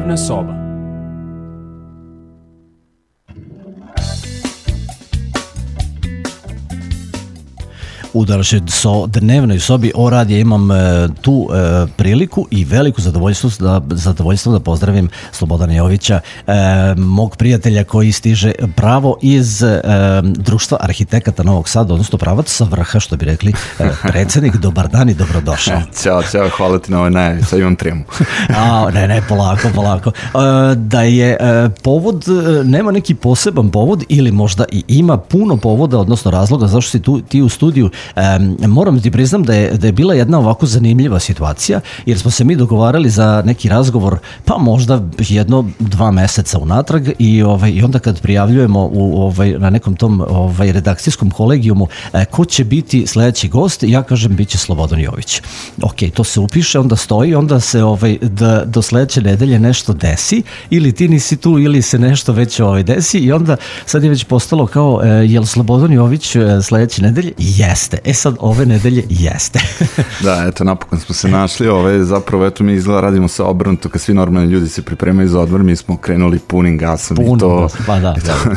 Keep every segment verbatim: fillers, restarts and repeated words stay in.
Dnevna soba. U današnjoj so, dnevnoj sobi O radija imam e, tu e, priliku i veliko zadovoljstvo da, zadovoljstvo da pozdravim Slobodana Jovića, e, mog prijatelja koji stiže pravo iz e, Društva arhitekata Novog Sada, odnosno pravac sa vrha, što bi rekli e, predsjednik. Dobar dan i dobrodošao. Ćao, čao, hvala ti na ovoj najavi, sad imam tremu. A, ne, ne, polako, polako. E, da je e, povod, e, nema neki poseban povod ili možda i ima puno povoda, odnosno razloga zašto si tu, ti u studiju. Um, moram ti priznam da je, da je bila jedna ovako zanimljiva situacija, jer smo se mi dogovarali za neki razgovor pa možda jedno, dva meseca unatrag i, ovaj, i onda kad prijavljujemo u, ovaj, na nekom tom ovaj, redakcijskom kolegijumu eh, ko će biti sledeći gost, ja kažem bit će Slobodan Jović. Ok, to se upiše, onda stoji, onda se ovaj, da, do sledeće nedelje nešto desi, ili ti nisi tu ili se nešto već ovaj, desi i onda sad je već postalo kao eh, jel Slobodan Jović eh, sledeće nedelje? Jeste. E sad, ove nedelje jeste. Da, eto, napokon smo se našli. Ove, zapravo, eto, mi izgleda radimo se obrnuto, kad svi normalni ljudi se pripremaju za odmor, mi smo krenuli punim gasom. Punim i to, gasom, pa da. To,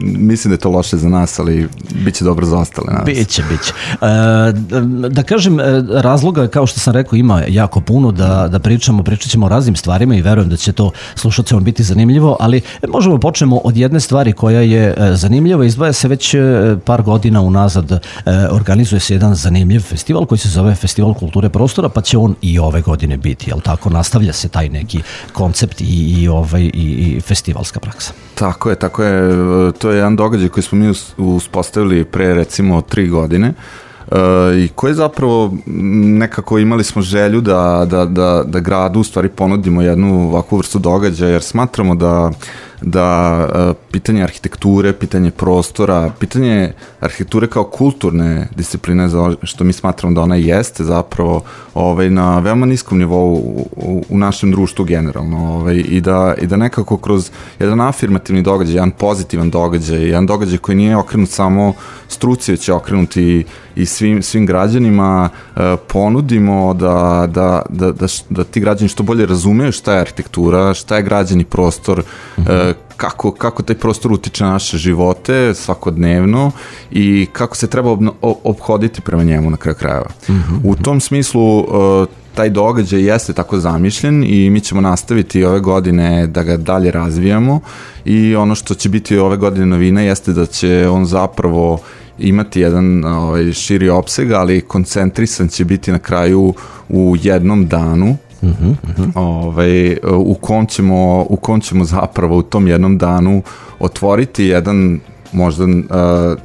mislim da je to loše za nas, ali bit će dobro za ostale nas. Biće, biće. E, da kažem, razloga, kao što sam rekao, ima jako puno da, da pričamo, pričat ćemo o raznim stvarima i verujem da će to slušateljima biti zanimljivo, ali možemo počnemo od jedne stvari koja je zanimljiva. Izdvaja se već par godina unazad, organizuje se jedan zanimljiv festival koji se zove Festival kulture prostora, pa će on i ove godine biti, jel tako? Nastavlja se taj neki koncept i, i, ovaj, i, i festivalska praksa. Tako je, tako je. To je jedan događaj koji smo mi uspostavili pre recimo tri godine. Uh, i koji zapravo nekako imali smo želju da, da, da, da gradu u stvari ponudimo jednu ovakvu vrstu događaja, jer smatramo da da uh, pitanje arhitekture, pitanje prostora, pitanje arhitekture kao kulturne discipline, za što mi smatramo da ona jeste zapravo ovaj, na veoma niskom nivou u, u našem društvu generalno, ovaj, i, da, i da nekako kroz jedan afirmativni događaj, jedan pozitivan događaj, jedan događaj koji nije okrenut samo struci, već je okrenut i, i svim, svim građanima, uh, ponudimo da, da, da, da, da ti građani što bolje razumeju šta je arhitektura, šta je građani prostor, mm-hmm. uh, Kako, kako taj prostor utiče na naše živote svakodnevno i kako se treba obno, obhoditi prema njemu na kraju krajeva. Mm-hmm. U tom smislu uh, taj događaj jeste tako zamišljen i mi ćemo nastaviti ove godine da ga dalje razvijamo i ono što će biti ove godine novina jeste da će on zapravo imati jedan ovaj, širi opseg, ali koncentrisan će biti na kraju u jednom danu. Uh-huh, uh-huh. Ovaj, u, kom ćemo, u kom ćemo zapravo u tom jednom danu otvoriti jedan možda uh,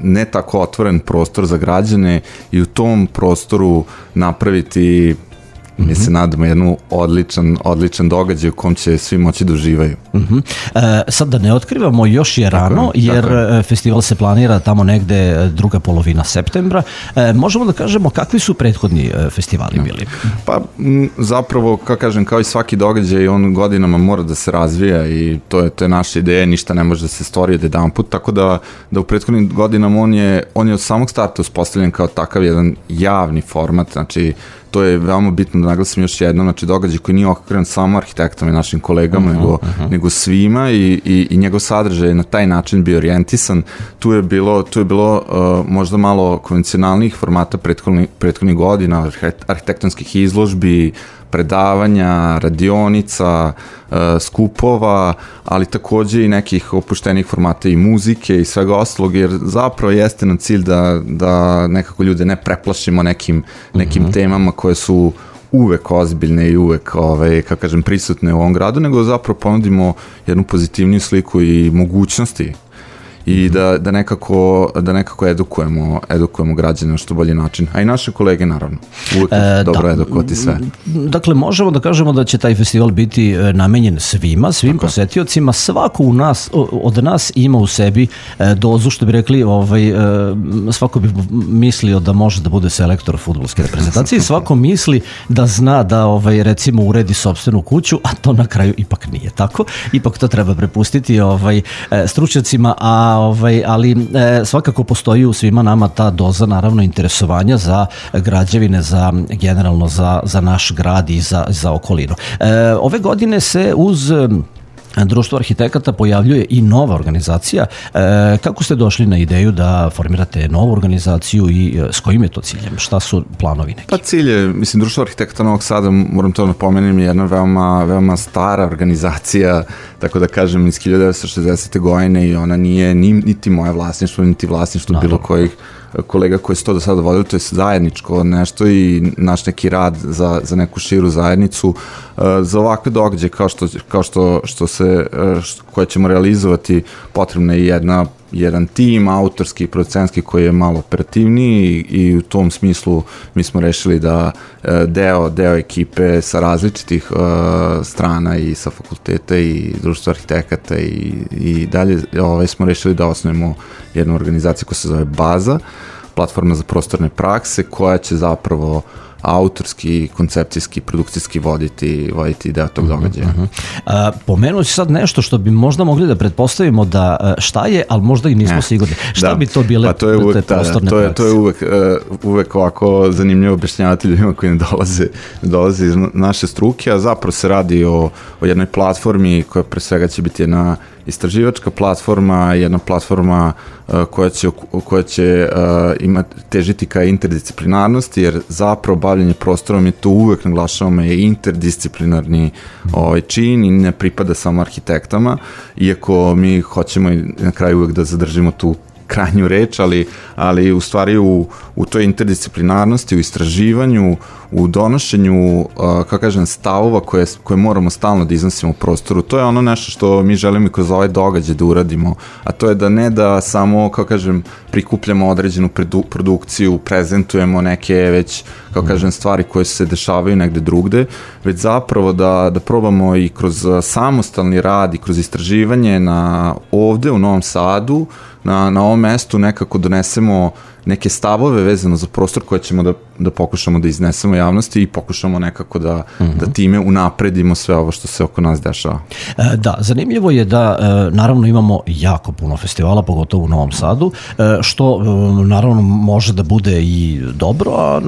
ne tako otvoren prostor za građane i u tom prostoru napraviti, mm-hmm. mi se nadamo, jednu odličan, odličan događaj u kom će svi moći da uživaju. Mm-hmm. E, sad da ne otkrivamo, još je rano, tako, jer tako. Festival se planira tamo negde druga polovina septembra. E, možemo da kažemo kakvi su prethodni festivali bili? Pa m, zapravo, kao kažem, kao i svaki događaj, on godinama mora da se razvija i to je, to je naša ideja, ništa ne može da se stvori od jedan put, tako da, da u prethodnim godinama on je, on je od samog starta uspostavljen kao takav jedan javni format, znači to je veoma bitno da naglasim još jednom, znači događaj koji nije okrenut samo arhitektama i našim kolegama, uh-huh, nego, uh-huh. nego svima i, i, i njegov sadržaj je na taj način bio orijentisan. Tu je bilo, tu je bilo uh, možda malo konvencionalnih formata prethodnih, prethodnih godina, arhitektonskih izložbi, predavanja, radionica, uh, skupova, ali takođe i nekih opuštenih formata i muzike i svega ostalog, jer zapravo jeste nam cilj da, da nekako ljude ne preplašimo nekim, nekim mm-hmm. temama koje su uvek ozbiljne i uvek, ovaj, kako kažem, prisutne u ovom gradu, nego zapravo ponudimo jednu pozitivniju sliku i mogućnosti i da, da, nekako, da nekako edukujemo, edukujemo građane na što bolji način, a i naše kolege naravno, uvijek e, dobro da, edukovati sve. Dakle, možemo da kažemo da će taj festival biti namenjen svima, svim tako posetiocima, svako u nas, od nas ima u sebi dozu, što bi rekli, ovaj, svako bi mislio da može da bude selektor fudbalske reprezentacije, svako misli da zna da ovaj, recimo uredi sopstvenu kuću, a to na kraju ipak nije tako, ipak to treba prepustiti ovaj, stručnjacima, a Ovaj, ali e, svakako postoji u svima nama ta doza naravno interesovanja za građevine, za generalno za, za naš grad i za, za okolinu. E, ove godine se uz Društvo arhitekata pojavljuje i nova organizacija. E, kako ste došli na ideju da formirate novu organizaciju i s kojim je to ciljem? Šta su planovi neki? Pa cilj je, mislim, Društvo arhitekata Novog Sada, moram to napomenem, je jedna veoma, veoma stara organizacija, tako da kažem, iz hiljadu devetsto šezdesete godine i ona nije ni, niti moje vlasništvo, niti vlasništvo bilo kojih kolega koji su to do sada vodili, to je zajedničko nešto i naš neki rad za, za neku širu zajednicu, uh, za ovakve događaje kao što, kao što, što se, uh, što, koje ćemo realizovati, potrebna je jedna jedan tim, autorski i producentski koji je malo operativniji i, i u tom smislu mi smo rešili da deo, deo ekipe sa različitih uh, strana i sa fakulteta i društva arhitekata i, i dalje ovaj, smo rešili da osnovimo jednu organizaciju koja se zove Baza, platforma za prostorne prakse koja će zapravo autorski, koncepcijski, produkcijski voditi, voditi deo tog događaja. Uh-huh. A, pomenuo si sad nešto što bi možda mogli da pretpostavimo da šta je, ali možda i nismo ne. sigurni. Šta da. bi to bile pa to je uvek, te prostorne to je, prakse? To je uvek, uh, uvek ovako zanimljivo objašnjavati ljudima koji ne dolaze, dolaze iz naše struke, a zapravo se radi o, o jednoj platformi koja pre svega će biti jedna istraživačka platforma, jedna platforma uh, koja će, koja će uh, imati, težiti ka interdisciplinarnosti, jer zapravo bavljenje prostorom je to uvek naglašavamo je interdisciplinarni ovaj, čin i ne pripada samo arhitektama, iako mi hoćemo i na kraju uvek da zadržimo tu krajnju reč, ali, ali u stvari u, u toj interdisciplinarnosti, u istraživanju, u donošenju, uh, kako kažem, stavova koje, koje moramo stalno da iznosimo u prostoru. To je ono nešto što mi želimo i kroz ovaj događaj da uradimo, a to je da ne da samo, kako kažem, prikupljamo određenu produ, produkciju, prezentujemo neke već, kako kažem, stvari koje se dešavaju negde drugde, već zapravo da, da probamo i kroz samostalni rad i kroz istraživanje na ovde u Novom Sadu, na, na ovom mestu nekako donesemo neke stavove vezano za prostor koje ćemo da, da pokušamo da iznesemo javnosti i pokušamo nekako da, uh-huh. da time unapredimo sve ovo što se oko nas dešava. E, da, zanimljivo je da e, naravno imamo jako puno festivala, pogotovo u Novom Sadu, e, što e, naravno može da bude i dobro, a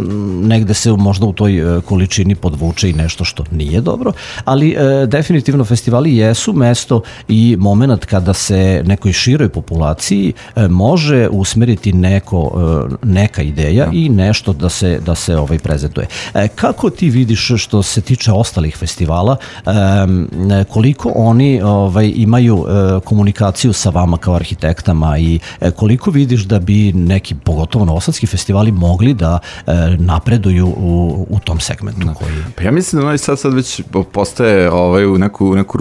negde se možda u toj količini podvuče i nešto što nije dobro, ali e, definitivno festivali jesu mesto i moment kada se nekoj široj populaciji e, može usmeriti neko neka ideja ja. i nešto da se, da se ovaj prezentuje. E, kako ti vidiš što se tiče ostalih festivala, e, koliko oni ovaj, imaju e, komunikaciju sa vama kao arhitektama i e, koliko vidiš da bi neki, pogotovo novosadski festivali, mogli da e, napreduju u, u tom segmentu? Koji... Pa ja mislim da Novi Sad sad već postaje ovaj, u neku, neku,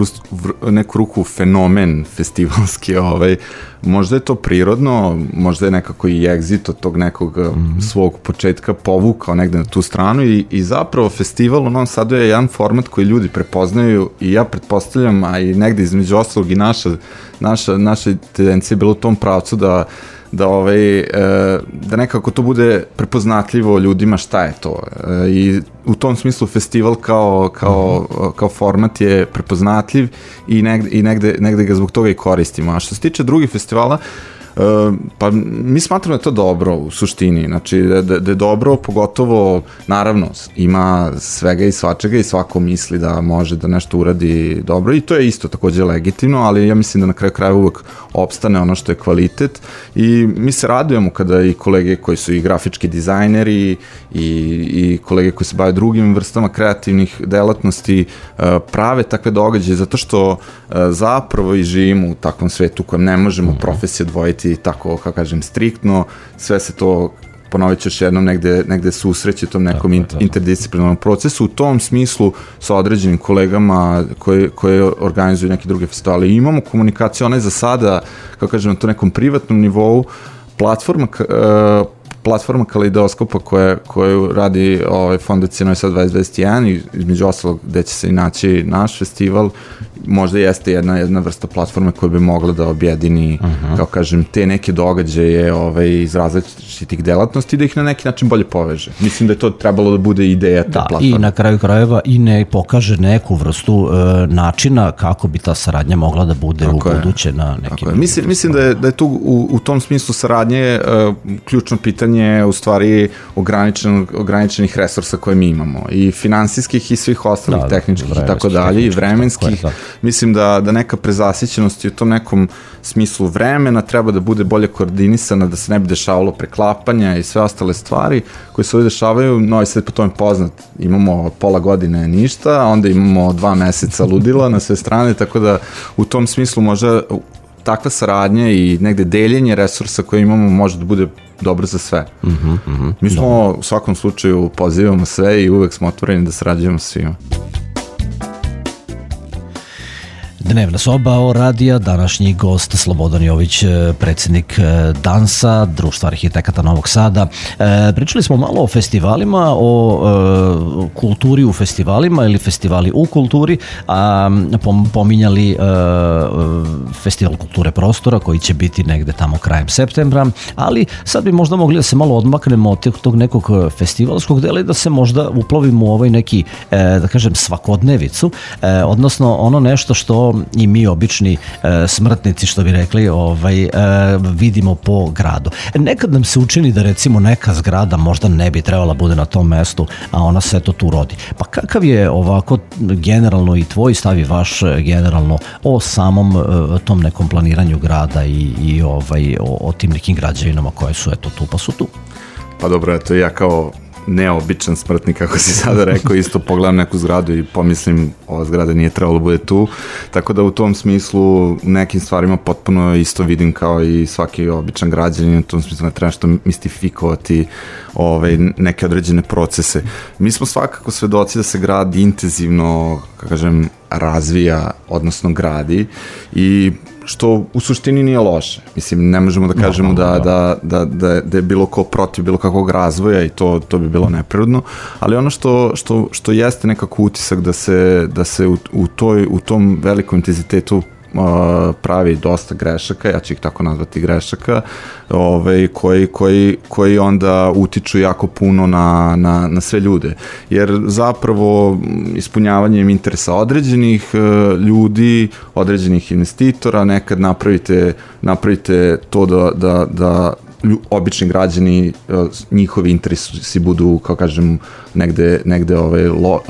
neku ruku fenomen festivalski, ovaj, možda je to prirodno, možda je nekako i egzit od tog nekog mm-hmm. svog početka povukao negde na tu stranu i, i zapravo festival u Novom Sadu je jedan format koji ljudi prepoznaju i ja pretpostavljam, a i negde između ostalog i naša, naša, naša tendencija je bila u tom pravcu da da, ovaj, da nekako to bude prepoznatljivo ljudima šta je to. I u tom smislu festival kao, kao, kao format je prepoznatljiv i negde, i negde, negde ga zbog toga i koristimo. A što se tiče drugih festivala, pa mi smatramo da je to dobro u suštini, znači da, da, da je dobro, pogotovo naravno ima svega i svačega i svako misli da može da nešto uradi dobro i to je isto takođe legitimno, ali ja mislim da na kraju kraja uvek opstane ono što je kvalitet i mi se radujemo kada i kolege koji su i grafički dizajneri i, i kolege koji se bave drugim vrstama kreativnih delatnosti prave takve događaje, zato što zapravo i živimo u takvom svetu u kojem ne možemo profesije odvojiti tako, kako kažem, striktno, sve se to, ponovit ću još jednom, negde, negde susreće tom nekom in, interdisciplinarnom procesu. U tom smislu sa određenim kolegama koje, koje organizuju neke druge festivale. I imamo komunikaciju, ona je za sada, kako kažem, na to nekom privatnom nivou, platforma, uh, platforma Kaleidoskopa koja, koju radi ovaj, Fondacija Novi Sad dvadeset dvadeset jedan i između ostalog gde će se i naći naš festival, možda jeste jedna, jedna vrsta platforme koja bi mogla da objedini, uh-huh. kao kažem, te neke događaje ovaj, iz različitih delatnosti i da ih na neki način bolje poveže. Mislim da je to trebalo da bude ideja te da, platforme. I na kraju krajeva i ne pokaže neku vrstu e, načina kako bi ta saradnja mogla da bude tako u buduće je. Na nekim... Mislim, mislim da je, da je tu u, u tom smislu saradnje e, ključno pitanje pitanje u stvari ograničen, ograničenih resursa koje mi imamo i finansijskih i svih ostalih da, tehničkih i tako dalje i vremenskih. Da. Mislim da, da neka prezasićenost i u tom nekom smislu vremena treba da bude bolje koordinisana, da se ne bi dešavalo preklapanja i sve ostale stvari koje se ovdje dešavaju. Novi Sad po tome poznat, imamo pola godine ništa, onda imamo dva meseca ludila na sve strane, tako da u tom smislu možda takva saradnja i negde deljenje resursa koje imamo može da bude dobro za sve. Mm-hmm, mm-hmm. Mi smo dobro. U svakom slučaju pozivamo sve i uvek smo otvoreni da sarađujemo svima. Dnevna soba o radija, današnji gost Slobodan Jović, predsjednik Dansa, Društva arhitekata Novog Sada. E, pričali smo malo o festivalima, o e, kulturi u festivalima ili festivali u kulturi, a pom, pominjali e, Festival kulture prostora koji će biti negde tamo krajem septembra, ali sad bi možda mogli da se malo odmaknemo od tog nekog festivalskog dela i da se možda uplovimo u ovaj neki, e, da kažem, svakodnevicu, e, odnosno ono nešto što i mi obični e, smrtnici, što bi rekli, ovaj, e, vidimo po gradu. Nekad nam se učini da recimo neka zgrada možda ne bi trebala bude na tom mestu, a ona se to tu rodi. Pa kakav je ovako generalno i tvoj stav i vaš generalno o samom e, tom nekom planiranju grada i, i ovaj, o, o tim nekim građevinama koje su eto tu pa su tu? Pa dobro, eto ja kao neobičan smrtnik, kako si sada rekao, isto pogledam neku zgradu i pomislim ova zgrada nije trebalo bude tu, tako da u tom smislu u nekim stvarima potpuno isto vidim kao i svaki običan građanin, u tom smislu ne treba što mistifikovati ovaj, neke određene procese. Mi smo svakako svedoci da se grad intenzivno, kako kažem, razvija, odnosno gradi i što u suštini nije loše. Mislim, ne možemo da kažemo no, no, no. Da, da, da, da je bilo ko protiv bilo kakvog razvoja i to, to bi bilo neprirodno, ali ono što, što, što jeste nekako utisak da se, da se u, u, toj, u tom velikom intenzitetu pravi dosta grešaka, ja ću ih tako nazvati grešaka, ovaj, koji, koji, koji onda utiču jako puno na, na, na sve ljude. Jer zapravo ispunjavanjem interesa određenih ljudi, određenih investitora, nekad napravite, napravite to da, da, da obični građani, njihovi interesi budu, kao kažem, negde, negde ovaj, lo,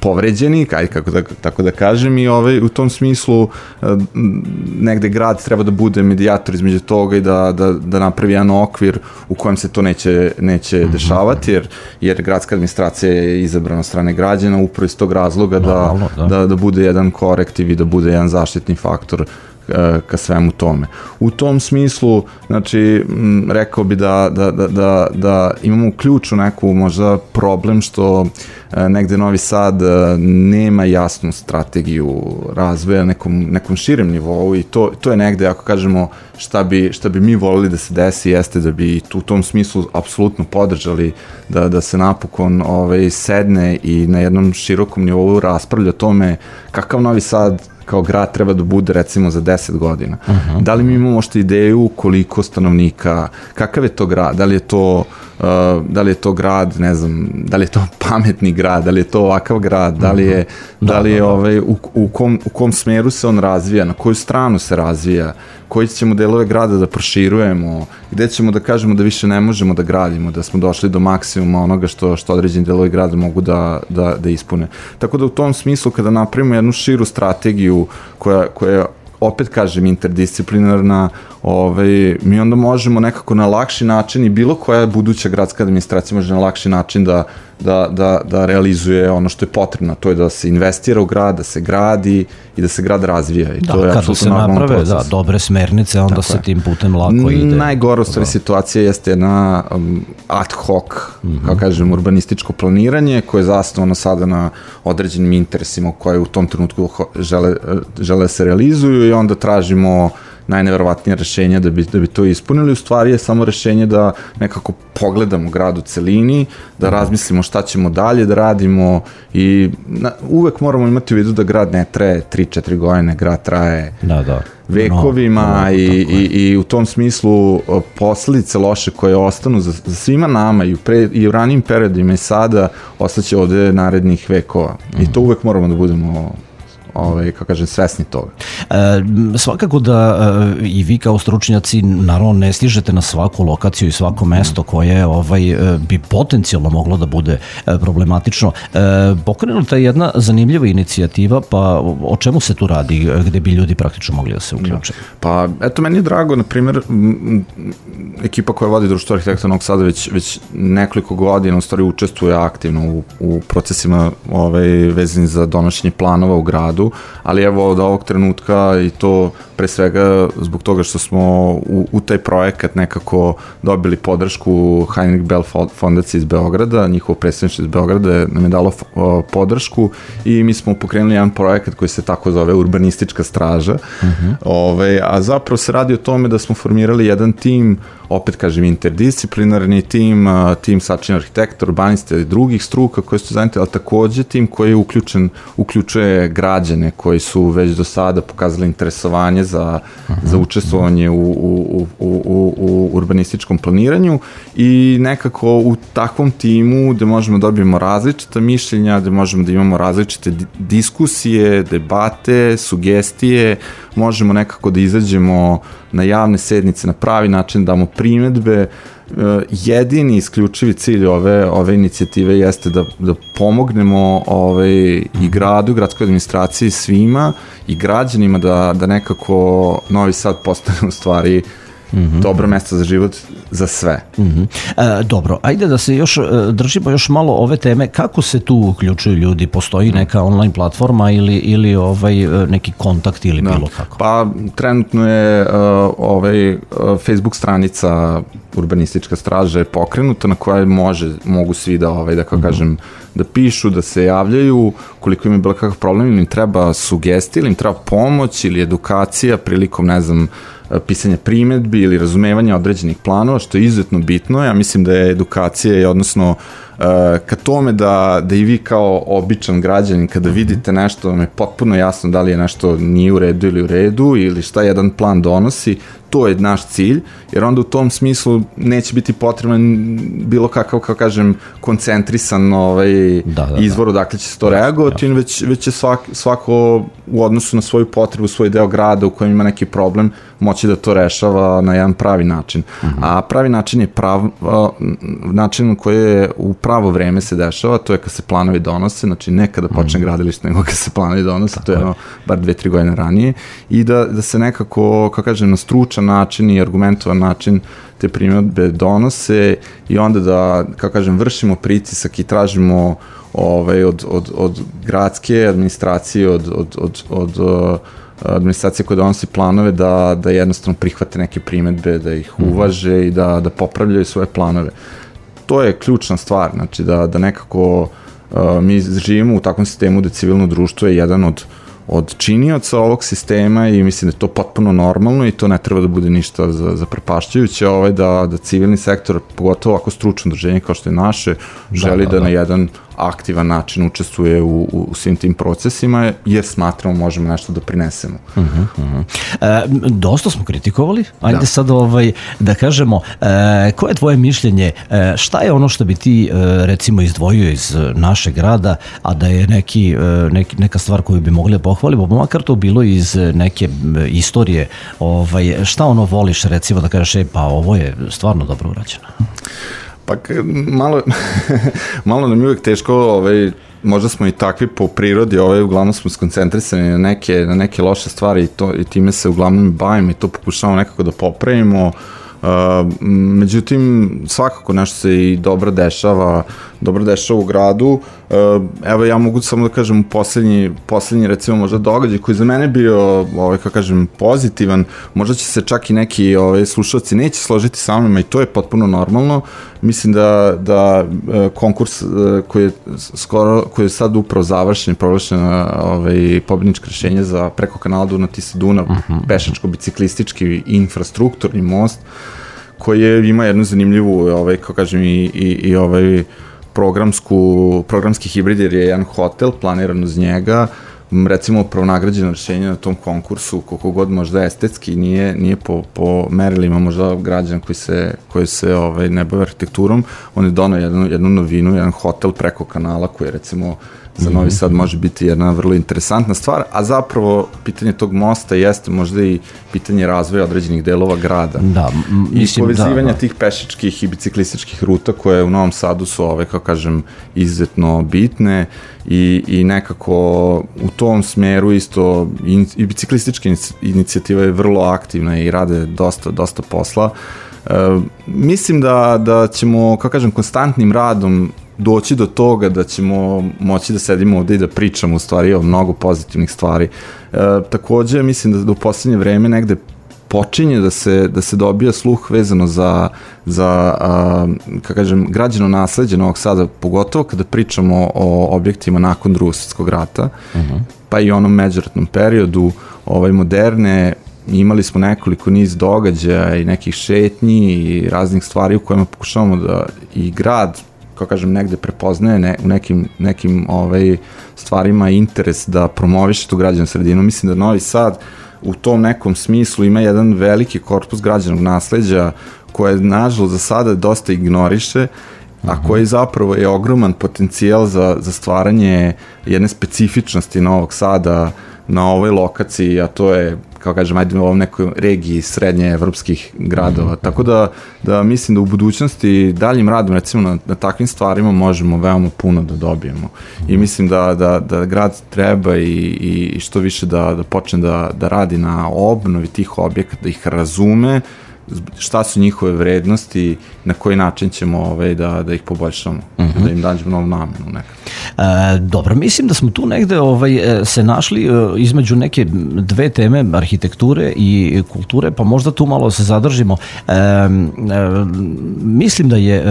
povređeni, kaj, kako da, tako da kažem, i ovaj, u tom smislu negde grad treba da bude medijator između toga i da, da, da napravi jedan okvir u kojem se to neće, neće mm-hmm. dešavati, jer, jer gradska administracija je izabrana od strane građana upravo iz tog razloga da, da, da. da, da bude jedan korektiv i da bude jedan zaštitni faktor ka svemu tome. U tom smislu, znači, rekao bi da, da, da, da, da imamo ključu neku možda problem što negde Novi Sad nema jasnu strategiju razvoja nekom, nekom širem nivou i to, to je negde, ako kažemo, šta bi, šta bi mi volili da se desi, jeste da bi u tom smislu apsolutno podržali da, da se napokon ovaj, sedne i na jednom širokom nivou raspravlja o tome kakav Novi Sad kao grad treba da bude recimo za deset godina. Uh-huh. Da li mi imamo što ideju koliko stanovnika, kakav je to grad, da li je to, uh, da li je to grad, ne znam, da li je to pametni grad, da li je to ovakav grad, da li je, uh-huh. da li je da, da, da. Ovaj, u, u, kom, u kom smeru se on razvija, na koju stranu se razvija, koji ćemo delove grada da proširujemo, gde ćemo da kažemo da više ne možemo da gradimo, da smo došli do maksimuma onoga što, što određeni delovi grada mogu da, da, da ispune. Tako da u tom smislu kada napravimo jednu širu strategiju koja, koja opet kažem interdisciplinarna, ovaj, mi onda možemo nekako na lakši način i bilo koja buduća gradska administracija može na lakši način da, da, da, da realizuje ono što je potrebno, to je da se investira u grad, da se gradi i da se grad razvija. I da, to je kada se naprave da, dobre smernice, onda tako se je. Tim putem lako ide. Najgora u stvari situacija jeste jedna um, ad hoc, mm-hmm. kao kažem, urbanističko planiranje koje je zasnovano sada na određenim interesima koje u tom trenutku žele, žele se realizuju i onda tražimo najneverovatnije rešenja da bi, da bi to ispunili. U stvari je samo rešenje da nekako pogledamo grad u celini, da razmislimo šta ćemo dalje da radimo i na, uvek moramo imati u vidu da grad ne traje tri četiri godine, grad traje da, da. vekovima no, no, i, i, i u tom smislu posledice loše koje ostanu za, za svima nama i u, pre, i u ranijim periodima i sada ostaće ovde narednih vekova. Mm. I to uvek moramo da budemo ovaj, kako kažem, svesni toga. E, svakako da e, i vi kao stručnjaci naravno ne stižete na svaku lokaciju i svako mesto koje ovaj, e, bi potencijalno moglo da bude e, problematično. E, pokrenuta je jedna zanimljiva inicijativa, pa o čemu se tu radi, gde bi ljudi praktično mogli da se uključe? Pa eto, meni je drago, na primjer, ekipa koja vodi Društvo arhitekta Novog Sada već, već nekoliko godina u stvari učestvuje aktivno u, u procesima ovaj, vezani za donošenje planova u gradu, ali evo od ovog trenutka i to pre svega zbog toga što smo u, u taj projekat nekako dobili podršku Heinrich Bell fondacije iz Beograda, njihovo predstavništvo iz Beograda nam je dalo podršku i mi smo pokrenuli jedan projekat koji se tako zove Urbanistička straža, uh-huh. Ove, a zapravo se radi o tome da smo formirali jedan tim, opet kažem interdisciplinarni tim, tim sačinjen arhitekta, urbanista i drugih struka koji su zajedno, ali takođe tim koji je uključen, uključuje građane koji su već do sada pokazali interesovanje za, uh-huh. za učestvovanje u, u, u, u, u urbanističkom planiranju i nekako u takvom timu gde možemo da dobijemo različita mišljenja, gde možemo da imamo različite diskusije, debate, sugestije, možemo nekako da izađemo na javne sednice na pravi način, damo primedbe. Jedini isključivi cilj ove, ove inicijative jeste da, da pomognemo ovaj, i gradu, gradskoj administraciji, svima i građanima da, da nekako Novi Sad postane u stvari Mm-hmm. dobro mesto za život za sve. Mm-hmm. E, dobro, ajde da se još držimo još malo ove teme. Kako se tu uključuju ljudi? Postoji neka online platforma ili, ili ovaj, neki kontakt ili da. bilo kako? Pa trenutno je uh, ovaj, uh, Facebook stranica Urbanistička straža je pokrenuta na kojoj može, mogu svi da, ovaj, da kao mm-hmm. kažem, da pišu, da se javljaju, koliko im je bilo kakav problem, ili im treba sugestija, ili im treba pomoć ili edukacija prilikom, ne znam, pisanja primedbi ili razumevanja određenih planova, što je izuzetno bitno. Ja mislim da je edukacija i odnosno ka tome da, da i vi kao običan građanin kada vidite nešto vam je potpuno jasno da li je nešto nije u redu ili u redu ili šta jedan plan donosi, to je naš cilj, jer onda u tom smislu neće biti potreban bilo kakav, kao kažem, koncentrisan ovaj, da, da, izvor odakle će se to reagovati, ja. već, već će svak, svako u odnosu na svoju potrebu, svoj deo grada u kojem ima neki problem, moći da to rešava na jedan pravi način. Uh-huh. A pravi način je prav, način koji je u pravo vreme se dešava, to je kad se planovi donose, znači ne kada počne uh-huh. gradilište, nego kad se planovi donose, tako to je ono, bar dve, tri godine ranije, i da, da se nekako, kako kažem, na stručan način i argumentovan način te primjedbe donose i onda da, kako kažem, vršimo pritisak i tražimo ovaj, od, od, od gradske administracije, od, od, od, od uh, administracije koje donosi planove da, da jednostavno prihvate neke primjedbe, da ih uvaže mm-hmm. i da, da popravljaju svoje planove. To je ključna stvar, znači da, da nekako uh, mi živimo u takvom sistemu da civilno društvo je jedan od od činioca ovog sistema i mislim da je to potpuno normalno i to ne treba da bude ništa za, za prepašćajuće, ovaj, da, da civilni sektor, pogotovo ako stručno udruženje kao što je naše, želi da, da, da na jedan aktivan način učestvuje u, u, u svim tim procesima, jer smatramo možemo nešto da prinesemo. Uh-huh, uh-huh. E, dosta smo kritikovali, ajde da. sad ovaj, da kažemo, e, koje je tvoje mišljenje, e, šta je ono što bi ti e, recimo izdvojio iz našeg grada, a da je neki, e, neki, neka stvar koju bi mogli da pohvalimo, pa makar to bilo iz neke istorije, ovaj, šta ono voliš recimo da kažeš, e, pa ovo je stvarno dobro urađeno? Pa malo, malo nam je uvijek teško, ovaj, možda smo i takvi po prirodi, ovaj, uglavnom smo skoncentrisani na neke, na neke loše stvari i, to, i time se uglavnom bavimo i to pokušavamo nekako da popravimo. Uh, međutim, svakako nešto se i dobro dešava, dobro dešava u gradu. Uh, evo, ja mogu samo da kažem poslednji, poslednji recimo možda događaj koji za mene bio, ovaj, kako kažem, pozitivan, možda će se čak i neki ovaj, slušalci neće složiti sa mnom i to je potpuno normalno. Mislim da, da konkurs koji je, skoro, koji je sad upravo završen, proglašen ovaj, pobedničko rešenje za preko kanala Dunav-Tisa-Dunav, uh-huh. pešačko-biciklistički infrastrukturni most, koji je, ima jednu zanimljivu, ovaj, kako kažem, i, i, i ovaj programsku, programski hibrid, jer je jedan hotel planiran uz njega, recimo pravonagrađeno rešenje na tom konkursu, koliko god možda estetski nije, nije po, po merilima možda građana koji se, koji se ovaj, ne bave arhitekturom, on je donao jednu, jednu novinu, jedan hotel preko kanala koji je recimo za Novi Sad može biti jedna vrlo interesantna stvar, a zapravo pitanje tog mosta jeste možda i pitanje razvoja određenih delova grada. Da, mislim, i povezivanja da, da. tih pešičkih i biciklističkih ruta koje u Novom Sadu su ove, kao kažem, izuzetno bitne i, i nekako u tom smeru isto i, i biciklistička inicijativa je vrlo aktivna i rade dosta, dosta posla. E, mislim da, da ćemo, kao kažem, konstantnim radom doći do toga da ćemo moći da sedimo ovde i da pričamo u stvari o mnogo pozitivnih stvari. E, takođe, mislim da do poslednje vreme negde počinje da se, da se dobija sluh vezano za, za a, kako kažem, građeno nasleđe Novog Sada, pogotovo kada pričamo o objektima nakon Drugog svjetskog rata, uh-huh. pa i onom međuratnom periodu, ovaj, moderne, imali smo nekoliko niz događaja i nekih šetnji i raznih stvari u kojima pokušavamo da i grad, kao kažem, negde prepoznaje ne, u nekim, nekim ovaj, stvarima interes da promoviše tu građanu sredinu. Mislim da Novi Sad u tom nekom smislu ima jedan veliki korpus građanog nasleđa koje, nažalost, za sada dosta ignoriše, a koji zapravo je ogroman potencijal za, za stvaranje jedne specifičnosti Novog Sada na ovoj lokaciji, a to je, kao kažem, ajde u ovom nekoj regiji srednje evropskih gradova. Mm-hmm. Tako da, da mislim da u budućnosti daljim radom, recimo, na, na takvim stvarima možemo veoma puno da dobijemo. Mm-hmm. I mislim da, da, da grad treba i, i što više da, da počne da, da radi na obnovi tih objekata, da ih razume, šta su njihove vrednosti, na koji način ćemo ovaj, da, da ih poboljšamo, uh-huh. da im dađemo novu namenu nekad. E, dobro, mislim da smo tu negde ovaj, se našli između neke dve teme, arhitekture i kulture, pa možda tu malo se zadržimo. E, e, mislim da je e,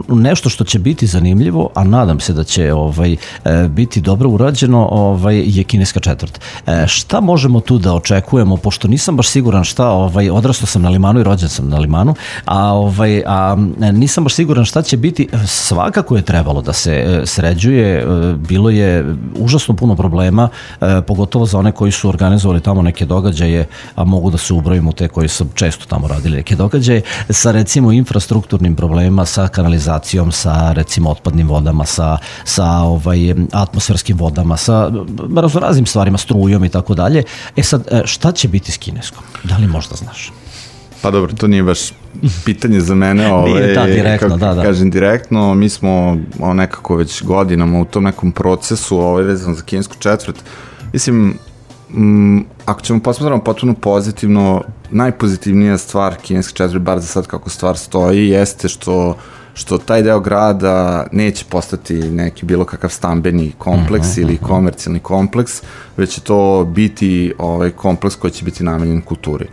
nešto što će biti zanimljivo, a nadam se da će ovaj, e, biti dobro urađeno, ovaj, je kineska četvrt. E, šta možemo tu da očekujemo, pošto nisam baš siguran šta, ovaj, odrastao sam na Limanu i rođen sam na Limanu, a, ovaj, a nisam baš siguran šta će biti. Svakako je trebalo da se sređuje, bilo je užasno puno problema, pogotovo za one koji su organizovali tamo neke događaje, a mogu da se ubrojimo te koji su često tamo radili neke događaje, sa recimo infrastrukturnim problemima, sa kanalizacijom, sa recimo otpadnim vodama, sa, sa ovaj, atmosferskim vodama, sa raznoraznim stvarima, strujom i tako dalje. E sad, šta će biti s kineskom? Da li možda znaš? Pa dobro, to nije baš pitanje za mene, ovaj, nije, da, direktno, kako, da, da. kažem direktno, mi smo o, nekako već godinama u tom nekom procesu ovaj, vezano za kinesku četvrt. Mislim, m, ako ćemo posmatramo potpuno pozitivno, najpozitivnija stvar kineske četvrti, bar za sad kako stvar stoji, jeste što što taj deo grada neće postati neki bilo kakav stambeni kompleks uh-huh, ili uh-huh. komercijalni kompleks, već će to biti ovaj, kompleks koji će biti namenjen kulturi.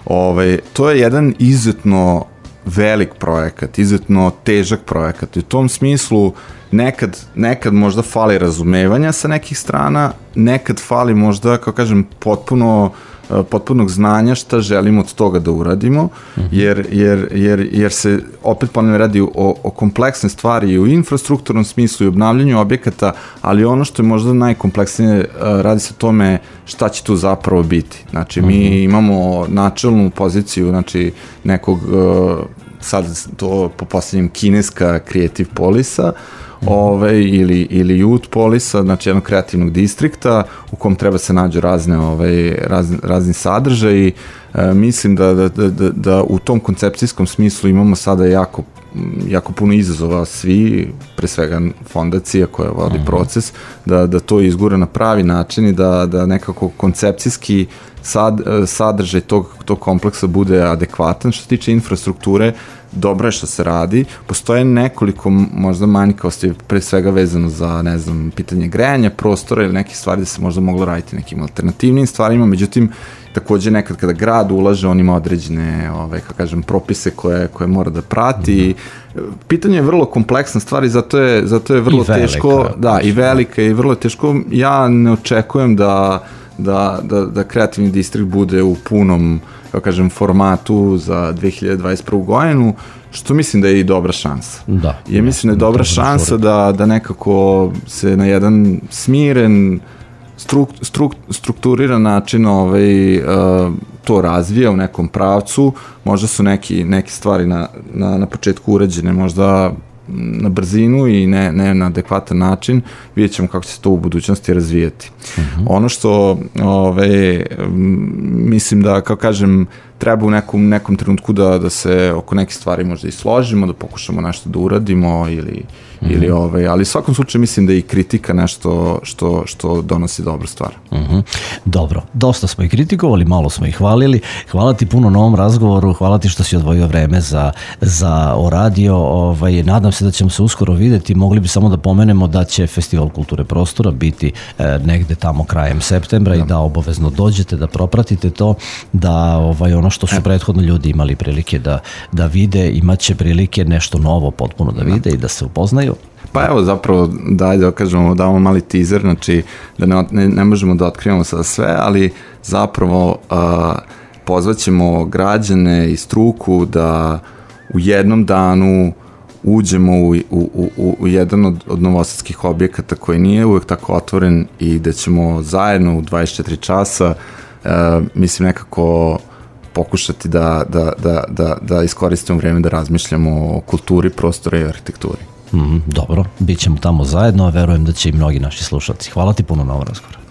Ovaj, to je jedan izuzetno velik projekat, izuzetno težak projekat i u tom smislu nekad, nekad možda fali razumevanja sa nekih strana, nekad fali možda, kao kažem, potpuno potpunog znanja šta želimo od toga da uradimo, uh-huh. jer, jer, jer, jer se opet ponavljam radi o, o kompleksne stvari i u infrastrukturnom smislu i obnavljanju objekata, ali ono što je možda najkompleksnije radi se o tome šta će tu zapravo biti. Znači, uh-huh. mi imamo načelnu poziciju, znači, nekog, sad to po poslednjem kineska Creative Polisa, Ove, ili, ili Youth Polisa, znači jednog kreativnog distrikta u kom treba se nađu razne, ove, razni, razni sadržaji. E, mislim da, da, da, da u tom koncepcijskom smislu imamo sada jako, jako puno izazova svi, pre svega fondacija koja vodi uh-huh. proces, da, da to izgura na pravi način i da, da nekako koncepcijski sad, sadržaj tog, tog kompleksa bude adekvatan. Što se tiče infrastrukture, dobro je što se radi. Postoje nekoliko možda manjkavosti, pre svega vezano za, ne znam, pitanje grejanja prostora ili neke stvari da se možda moglo raditi nekim alternativnim stvarima, međutim, takođe nekad kada grad ulaže, on ima određene, ovaj, kako kažem, propise koje, koje mora da prati. Pitanje je vrlo kompleksna stvar i zato je, zato je vrlo teško, da, i velika i vrlo teško. Ja ne očekujem da da, da, da kreativni distrikt bude u punom, kako kažem, formatu za dve hiljade dvadeset prvu godinu, što mislim da je i dobra šansa. Da. I mislim da je dobra šansa da, da nekako se na jedan smiren, struk, struk, strukturiran način ovaj, uh, to razvija u nekom pravcu. Možda su neki, neke stvari na, na, na početku urađene možda na brzinu i ne, ne na adekvatan način, vidjet ćemo kako će se to u budućnosti razvijeti. Uh-huh. Ono što ove, mislim da, kao kažem, treba u nekom, nekom trenutku da, da se oko nekih stvari možda i složimo, da pokušamo nešto da uradimo ili, mm-hmm. ili ove, ali u svakom slučaju mislim da i kritika nešto što, što donosi dobru stvar. Mm-hmm. Dobro, dosta smo i kritikovali, malo smo i hvalili. Hvala ti puno na ovom razgovoru, hvala ti što si odvojio vreme za, za o radio. Ovaj, nadam se da ćemo se uskoro videti. Mogli bi samo da pomenemo da će Festival kulture prostora biti e, negde tamo krajem septembra da. I da obavezno dođete, da propratite to, da ovaj, ono što su prethodno ljudi imali prilike da, da vide, imaće prilike nešto novo potpuno da vide i da se upoznaju. Pa evo zapravo daj da kažemo, damo mali teaser, znači da ne, ne, ne možemo da otkrivamo sada sve, ali zapravo uh, pozvaćemo građane i struku da u jednom danu uđemo u, u, u, u jedan od, od novosadskih objekata koji nije uvek tako otvoren i da ćemo zajedno u dvadeset četiri časa uh, mislim nekako pokušati da, da, da, da, da iskoristimo vreme da razmišljamo o kulturi, prostora i arhitekturi. Mm, dobro, bit ćemo tamo zajedno, a verujem da će i mnogi naši slušalci. Hvala ti puno na ovom razgovoru.